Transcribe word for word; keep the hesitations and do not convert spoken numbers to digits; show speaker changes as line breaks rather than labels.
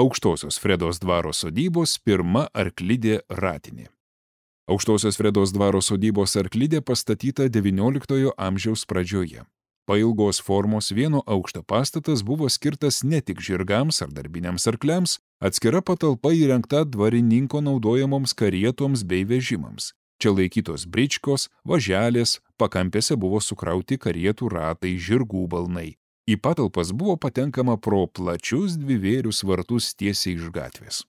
Aukštosios Fredos dvaro sodybos pirma arklidė ratinė. Aukštosios Fredos dvaro sodybos arklidė pastatyta devynioliktojo amžiaus pradžioje. Pailgos formos vieno aukšto pastatas buvo skirtas ne tik žirgams ar darbiniams arkliams, atskira patalpa įrengta dvarininko naudojamoms karietoms bei vežimams. Čia laikytos bričkos, važelės, pakampėse buvo sukrauti karietų ratai, žirgų balnai. Į patalpas buvo patenkama pro plačius dvivėrius vartus tiesiai iš gatvės.